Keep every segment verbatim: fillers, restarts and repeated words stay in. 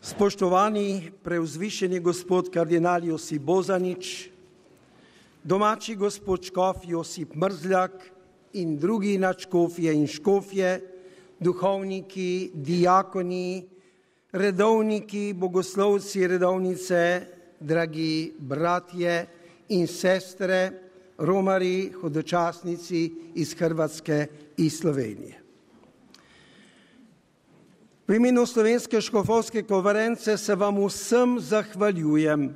Spoštovani preuzvišeni gospod kardinal Josip Bozanič, domači gospod škof Josip Mrzljak in drugi nadškofje in škofje, duhovniki, diakoni, redovniki, bogoslovci, redovnice, dragi bratje in sestre, romari, hodočasnici iz Hrvatske i Slovenije. V imenu Slovenske škofovske konference se vam vsem zahvaljujem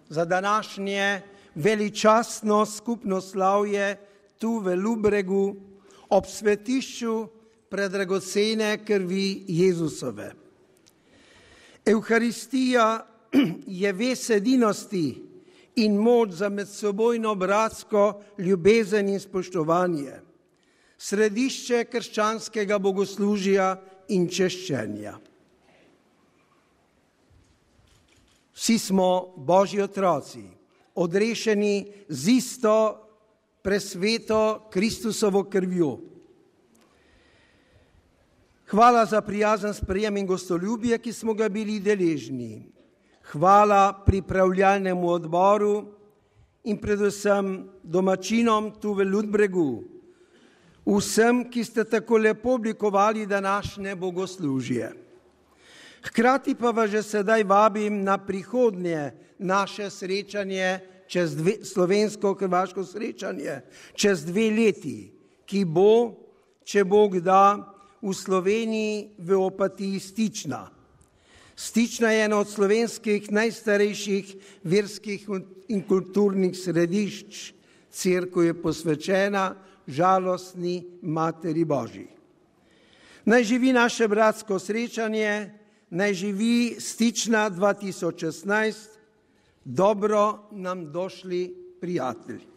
za današnje veličastno skupno slavje tu v Ludbregu ob svetišču predragocene krvi Jezusove. Evharistija je vez edinosti in moč za medsebojno bratsko ljubezen in spoštovanje, središče krščanskega bogoslužja in češčenja. Vsi smo Božji otroci, odrešeni z isto presveto Kristusovo krvjo. Hvala za prijazen sprejem in gostoljubje, ki smo ga bili deležni. Hvala pripravljalnemu odboru in predvsem domačinom tu v Ludbregu, vsem, ki ste tako lepo oblikovali današnje bogoslužje. Hkrati pa vas že sedaj vabim na prihodnje naše srečanje, čez dve, slovensko-hrvaško srečanje, čez dve leti, ki bo, če Bog da, v Sloveniji v Opatiji Stična. Stična je eno od slovenskih najstarejših verskih in kulturnih središč. Cerkev je posvečena žalostni Materi Božji. Naj živi naše bratsko srečanje, naj živi Stična dva tisoč šestnajst, dobro nam došli prijatelji.